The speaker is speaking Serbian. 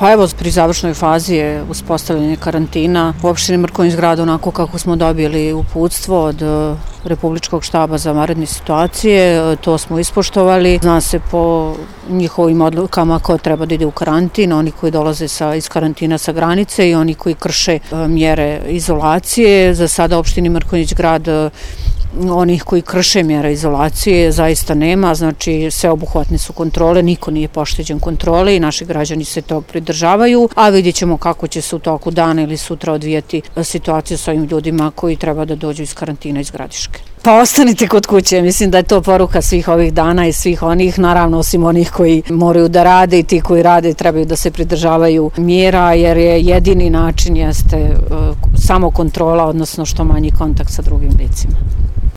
Pa evo, pri završnoj fazi je uspostavljanje karantina u opštini Mrkonjić Grad onako kako smo dobili uputstvo od Republičkog štaba za vanredne situacije. To smo ispoštovali. Zna se po njihovim odlukama ko treba da ide u karantin, oni koji dolaze iz karantina sa granice i oni koji krše mjere izolacije. Za sada opštini Mrkonjić Grad onih koji krše mjere izolacije zaista nema, znači sveobuhvatne su kontrole, niko nije pošteđen kontrole i naši građani se tog pridržavaju, a vidjet ćemo kako će se u toku dana ili sutra odvijati situacija sa ovim ljudima koji treba da dođu iz karantina iz Gradiške. Pa ostanite kod kuće, mislim da je to poruka svih ovih dana i svih onih, naravno osim onih koji moraju da rade i ti koji rade trebaju da se pridržavaju mjera, jer je jedini način jeste samo kontrola, odnosno što manji kontakt sa drugim licima.